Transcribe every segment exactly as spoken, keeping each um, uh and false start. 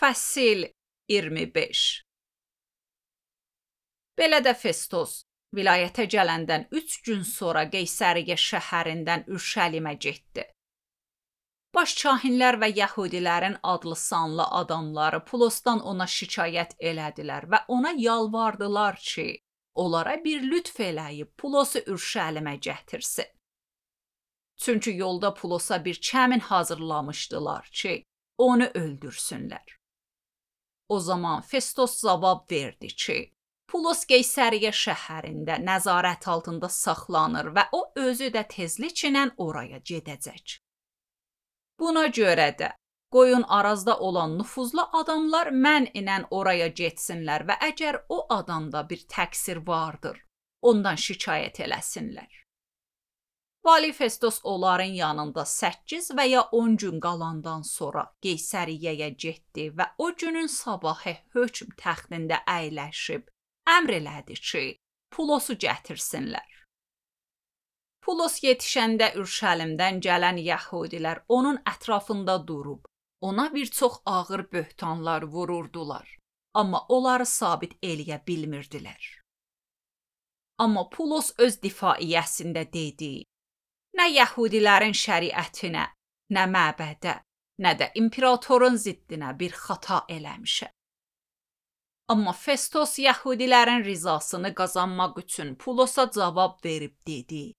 Fəsil iyirmi beş. Belə də Festos vilayətə gələndən üç gün sonra Qeysəriyyə şəhərindən Ürşəlimə getdi. Baş kahinlər və yəhudilərin adlı sanlı adamları Pulosdan ona şikayət elədilər və ona yalvardılar ki, onlara bir lütf eləyib Pulosu Ürşəlimə gətirsin. Çünki yolda Pulosa bir kəmin hazırlamışdılar ki, onu öldürsünlər. O zaman Festos cavab verdi ki, Pulos Qeysəriyyə şəhərində nəzarət altında saxlanır və o özü də tezliklə oraya gedəcək. Buna görə də qoyun Arazda olan nüfuzlu adamlar mənlə oraya getsinlər və əgər o adamda bir təqsir vardır, ondan şikayət eləsinlər. Vali Festos onların yanında səkkiz və ya on gün qalandan sonra Qeysəriyyəyə getdi və o günün sabahı hökm təxtində əyləşib əmr elədi ki, Pulosu gətirsinlər. Pulos yetişəndə Ürşəlimdən gələn yəhudilər onun ətrafında durub, ona bir çox ağır böhtanlar vururdular, amma onları sabit eləyə bilmirdilər. Amma Pulos öz difaiyəsində dedi, nə yəhudilərin şəriətinə, nə məbədə, nə də imperatorun ziddinə bir xata eləmişəm. Amma Festos yəhudilərin rizasını qazanmaq üçün Pulosa cavab verib dedi,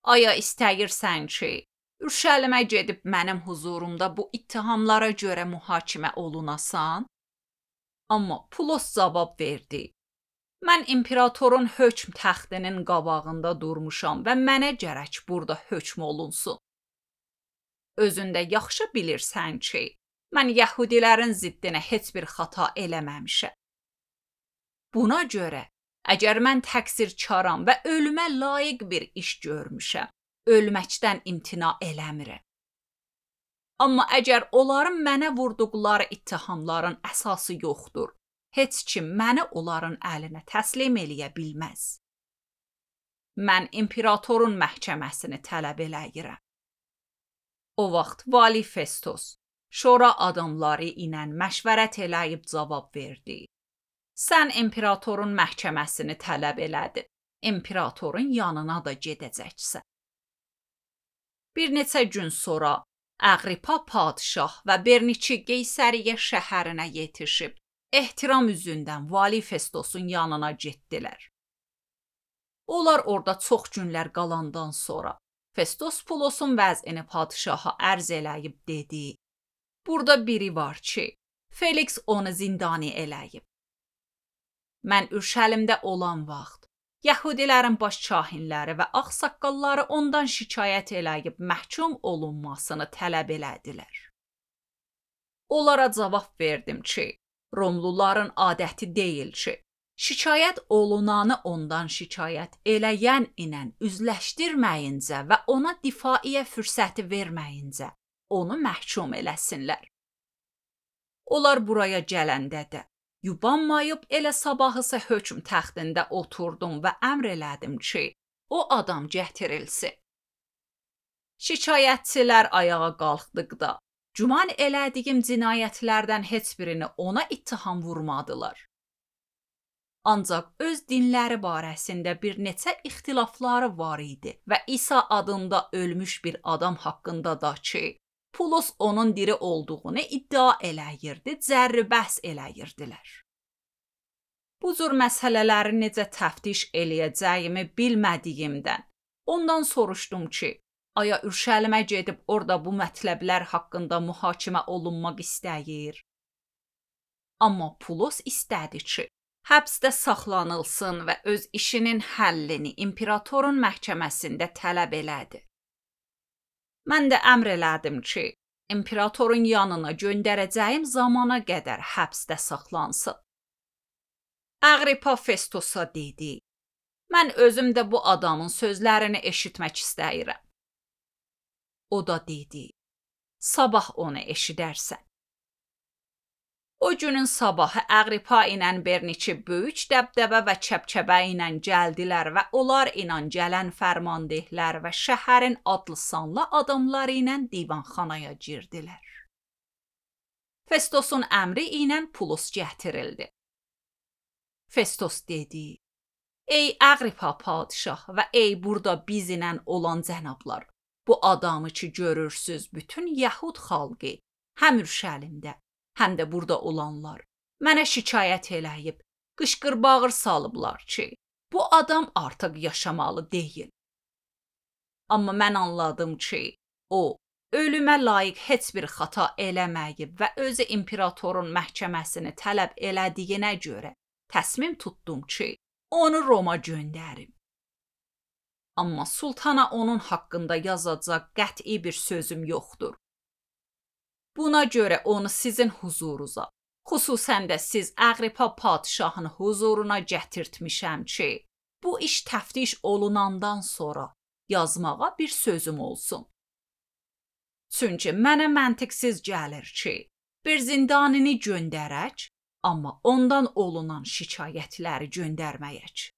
aya istəyirsən ki, Ürşəlimə gedib mənim huzurumda bu ittihamlara görə mühakimə olunasan? Amma Pulos cavab verdi, mən imperatorun hökm təxtinin qabağında durmuşam və mənə gərək burada hökm olunsun. Özündə yaxşı bilirsən ki, mən yəhudilərin ziddinə heç bir xata eləməmişəm. Buna görə, əgər mən təqsirkaram və ölümə layiq bir iş görmüşəm, ölməkdən imtina eləmirəm. Amma əgər onların mənə vurduqları ittihamların əsası yoxdur, heç kim məni onların əlinə təslim eləyə bilməz. Mən imperatorun məhkəməsini tələb eləyirəm. O vaxt Vali Festos şora adamları ilə məşvərət eləyib cavab verdi. Sən imperatorun məhkəməsini tələb elədin, imperatorun yanına da gedəcəksən. Bir neçə gün sonra Əqripa padşah və Berniçi Qeysəriyyə şəhərinə yetişib, ehtiram üzündən Vali Festosun yanına getdilər. Onlar orada çox günlər qalandan sonra Festos Pulosun vəzini padşaha ərz eləyib dedi, burada biri var ki, Felix onu zindani eləyib. Mən Ürşəlimdə olan vaxt, yəhudilərin baş kahinləri və ağsaqqalları ondan şikayət eləyib məhkum olunmasını tələb elədilər. Onlara cavab verdim ki, Romluların adəti deyil ki, şikayət olunanı ondan şikayət eləyən ilə üzləşdirməyincə və ona difaiyə fürsəti verməyincə onu məhkum eləsinlər. Onlar buraya gələndə də yubanmayıb elə sabahısı hökm təxtində oturdum və əmr elədim ki, o adam gətirilsin. Şikayətçilər ayağa qalxdıqda, güman elədiyim cinayətlərdən heç birini ona ittiham vurmadılar. Ancaq öz dinləri barəsində bir neçə ixtilafları var idi və İsa adında ölmüş bir adam haqqında da ki, Pulos onun diri olduğunu iddia eləyirdi, cərri bəhs eləyirdilər. Bu cür məsələləri necə təftiş eləyəcəyimi bilmədiyimdən, ondan soruşdum ki, aya Ürşəlimə gedib orada bu mətləblər haqqında mühakimə olunmaq istəyir. Amma Pulos istədi ki, həbsdə saxlanılsın və öz işinin həllini imperatorun məhkəməsində tələb elədi. Mən də əmr elədim ki, imperatorun yanına göndərəcəyim zamana qədər həbsdə saxlansın. Əqripa Festosa dedi, mən özüm də bu adamın sözlərini eşitmək istəyirəm. O da dedi, sabah onu eşidərsən. O günün sabahı Əqripa ilə Berniçi böyük dəbdəbə və çəpçəbə ilə gəldilər və onlar ilə gələn fərmandehlər və şəhərin adlı sanlı adamları ilə divanxanaya girdilər. Festosun əmri ilə Pulus gətirildi. Festos dedi: Ey Aqripa padişah və ey burada bizlə olan cənablar, bu adamı ki görürsüz, bütün Yəhud xalqı, həm Ürşəlimdə, həm də burada olanlar mənə şikayət eləyib, qışqır-bağır salıblar ki, bu adam artıq yaşamalı deyil. Amma mən anladım ki, o, ölümə layiq heç bir xata eləməyib və özü imperatorun məhkəməsini tələb elədiyinə görə təsmim tutdum ki, onu Roma göndərim. Amma sultana onun haqqında yazacaq qəti bir sözüm yoxdur. Buna görə onu sizin huzurunuza, xüsusən də siz Aqripa padişahın huzuruna gətirtmişəm ki, bu iş təftiş olunandan sonra yazmağa bir sözüm olsun. Çünki mənə məntiqsiz gəlir ki, bir zindanini göndərək, amma ondan olunan şikayətləri göndərməyək.